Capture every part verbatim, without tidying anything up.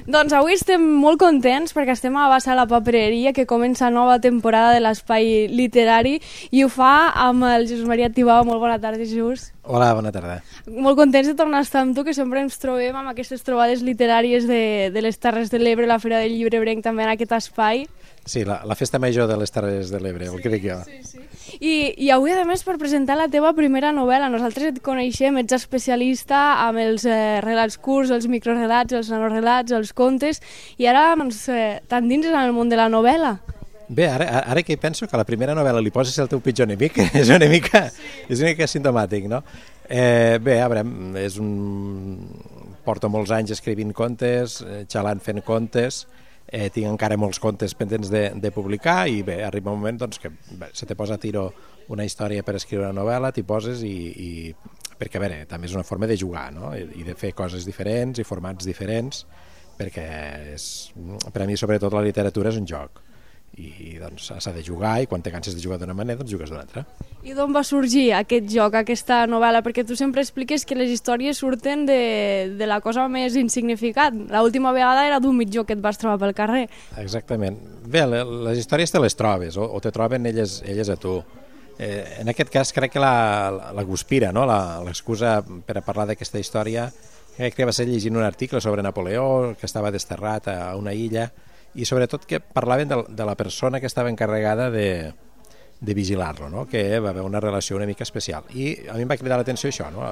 Doncs avui estem molt contents perquè estem a Bassa la Papereria, que comença nova temporada de l'Espai Literari, i ho fa amb el Jesús Maria Tibau. Molt bona tarda, Jesús. Hola, bona tarda. Molt contents de tornar a estar amb tu, que sempre ens trobem amb aquestes trobades literàries de, de les Terres de l'Ebre, la Fira del Llibre Ebrenc també en aquest espai. Sí, la, la festa major de les Terres de l'Ebre, sí, el crec jo. Sí, sí. I, I avui, a més, per presentar la teva primera novel·la. Nosaltres et coneixem, ets especialista amb els eh, relats curts, els microrelats, els nanorelats, els contes, i ara doncs, eh, t'endinses en el món de la novel·la. Bé, ara, ara que penso que la primera novel·la li poses el teu pitjor enemic, és una mica, sí. és una mica simptomàtic, no? Eh, bé, a veure, és un... porto molts anys escrivint contes, xalant fent contes, eh, tinc encara molts contes pendents de, de publicar, i bé, arriba un moment doncs, que bé, se te posa a tiro una història per escriure una novel·la, t'hi poses i, i... perquè, a veure, també és una forma de jugar, no? I de fer coses diferents i formats diferents, perquè és... per a mi, sobretot, la literatura és un joc. I doncs s'ha de jugar, i quan te canses de jugar d'una manera doncs jugues d'una altra. I d'on va sorgir aquest joc, aquesta novel·la? Perquè tu sempre expliques que les històries surten de, de la cosa més insignificant. L'última vegada era d'un mitjó que et vas trobar pel carrer. Exactament. Bé, les històries te les trobes, o, o te troben elles, elles a tu. Eh, en aquest cas crec que la, la Guspira, no? l'excusa per a parlar d'aquesta història, crec que va ser llegint un article sobre Napoleó, que estava desterrat a una illa, i sobretot que parlaven de, de la persona que estava encarregada de, de vigilar-lo, no? Que va haver una relació una mica especial. I a mi em va cridar l'atenció això, no?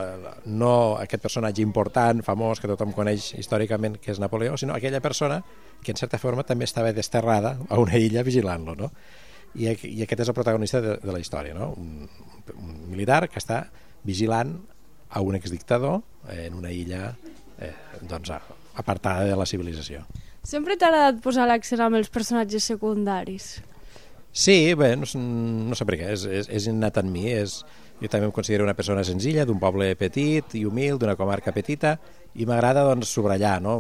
No aquest personatge important, famós, que tothom coneix històricament, que és Napoleó, sinó aquella persona que en certa forma també estava desterrada a una illa vigilant-lo, no? I, i aquest és el protagonista de, de la història, no? Un, un militar que està vigilant a un exdictador en una illa eh, doncs, apartada de la civilització. Sempre t'ha agradat posar l'accent amb els personatges secundaris? Sí, bé, no, no sé per què, és, és, és innat en mi. És, jo també em considero una persona senzilla, d'un poble petit i humil, d'una comarca petita, i m'agrada doncs, subratllar, no?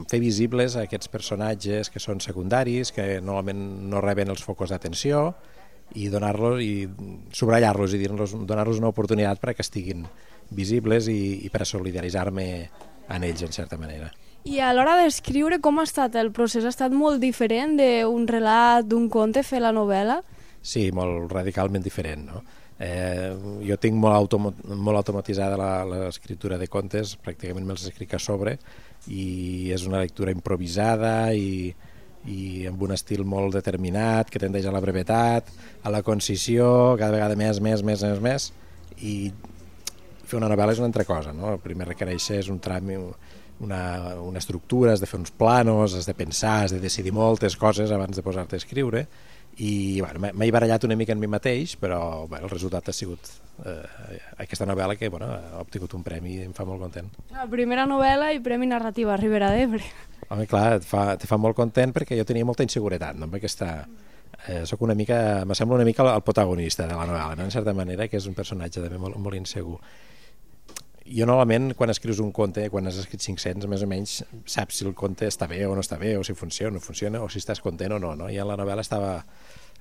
Fer visibles aquests personatges que són secundaris, que normalment no reben els focus d'atenció, i donar-los i subratllar-los i donar-los una oportunitat perquè estiguin visibles i, i per a solidaritzar-me en ells, en certa manera. I a l'hora d'escriure, com ha estat el procés? Ha estat molt diferent d'un relat, d'un conte, fer la novel·la? Sí, molt radicalment diferent, no? Eh, jo tinc molt, automo molt automatitzada l'escriptura de contes, pràcticament me'ls escric a sobre, i és una lectura improvisada i, i amb un estil molt determinat, que tendeix a la brevetat, a la concisió, cada vegada més, més, més, més, més, i fer una novel·la és una altra cosa, no? El primer requereix és un tràmit, Una, una estructura, has de fer uns planos, has de pensar, has de decidir moltes coses abans de posar-te a escriure, i bueno, m'he barallat una mica en mi mateix, però bueno, el resultat ha sigut eh, aquesta novel·la que bueno, ha obtingut un premi i em fa molt content. La primera novel·la i Premi Narrativa a Ribera d'Ebre. Home, clar, et fa, te fa molt content perquè jo tenia molta inseguretat, no? Amb aquesta... Eh, soc una mica, m'assembla una mica el protagonista de la novel·la, no? En certa manera, que és un personatge també molt, molt insegur. Jo normalment quan escrius un conte, quan has escrit cinc-cents, més o menys saps si el conte està bé o no està bé, o si funciona o no funciona, o si estàs content o no, no? I en la novel·la estava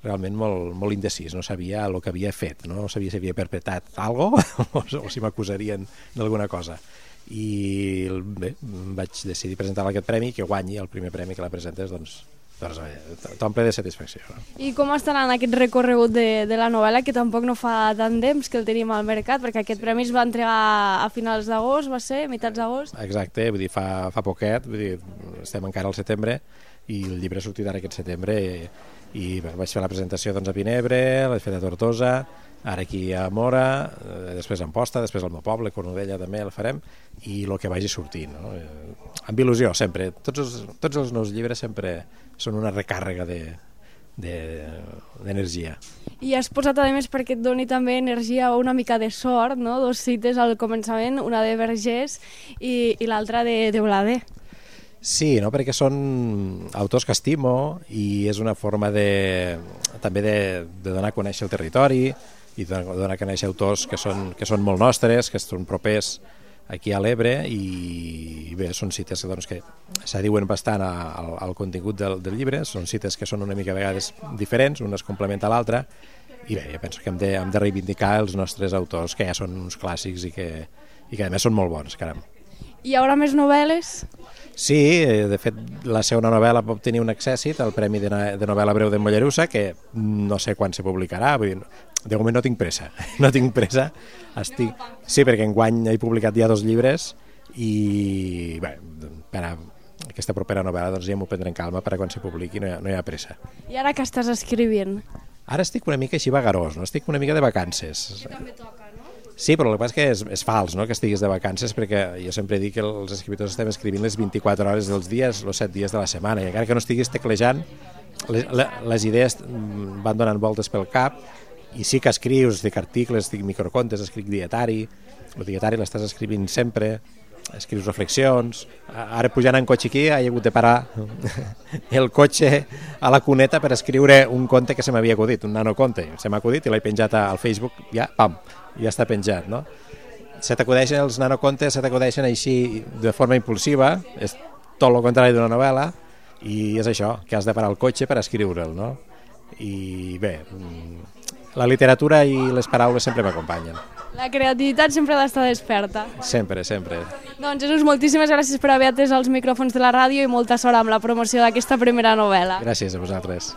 realment molt, molt indecís, no sabia el que havia fet, no, no sabia si havia perpetrat alguna cosa o si m'acusarien d'alguna cosa. I bé, vaig decidir presentar aquest premi, que guanyi el primer premi que la presentes, doncs, doncs t'omple de satisfacció. No? I com estarà en aquest recorregut de, de la novel·la, que tampoc no fa tant temps que el tenim al mercat, perquè aquest premi es va entregar a finals d'agost, va ser? Mitats d'agost? Exacte, vull dir, fa, fa poquet, vull dir, estem encara al setembre, i el llibre ha sortit ara aquest setembre, i, i bé, vaig fer la presentació doncs, a Vinebre, l'he fet a Tortosa, ara aquí a Mora, eh, després a Amposta, després al meu poble, Cornudella també el farem, i el que vagi sortint, no? Eh, amb il·lusió, sempre. Tots els, tots els nous llibres sempre són una recàrrega d'energia. De, I has posat, a més, perquè et doni també energia o una mica de sort, no? Dos cites al començament, una de Vergés i, i l'altra de, de Blader. Sí, no? Perquè són autors que estimo i és una forma de, també de, de donar a conèixer el territori i de donar a conèixer autors que són, que són molt nostres, que són propers aquí a l'Ebre, i bé, són cites doncs, que s'adiuen bastant al, al contingut del, del llibre, són cites que són una mica a vegades diferents, una es complementa a l'altra, i bé, jo penso que hem de, hem de reivindicar els nostres autors, que ja són uns clàssics i que, i que a més són molt bons, caram. I hi haurà més novel·les? Sí, de fet, la segona novel·la va obtenir un accèssit, el Premi de, de novel·la breu de Mollerussa, que no sé quan se publicarà, vull dir, de moment no tinc pressa, no tinc pressa. Estic... Sí, perquè enguany he publicat ja dos llibres i bé, per a aquesta propera novel·la doncs, ja m'ho prendré en calma per a quan se publiqui, no hi ha, no hi ha pressa. I ara què estàs escrivint? Ara estic una mica així vagarós, no? Estic una mica de vacances. Que també toca, no? Sí, però el que passa és que és, és fals, no?, que estiguis de vacances, perquè jo sempre dic que els escriptors estem escrivint les vint-i-quatre hores dels dies, els set dies de la setmana, i encara que no estiguis teclejant, les, les idees van donant voltes pel cap, i sí que escrius, estic articles, estic microcontes, escric dietari, el dietari l'estàs escrivint sempre, escrius reflexions. Ara pujant en cotxe aquí he hagut de parar el cotxe a la cuneta per escriure un conte que se m'havia acudit, un nanoconte, se m'ha acudit i l'he penjat al Facebook, ja, pam, ja està penjat, no? Se t'acudeixen els nanocontes, se t'acudeixen així de forma impulsiva, és tot el contrari d'una novel·la, i és això, que has de parar el cotxe per escriure'l, no? I bé, la literatura i les paraules sempre m'acompanyen. La creativitat sempre ha d'estar desperta. Sempre, sempre. Doncs Jesús, moltíssimes gràcies per haver atès els micròfons de la ràdio i molta sort amb la promoció d'aquesta primera novel·la. Gràcies a vosaltres.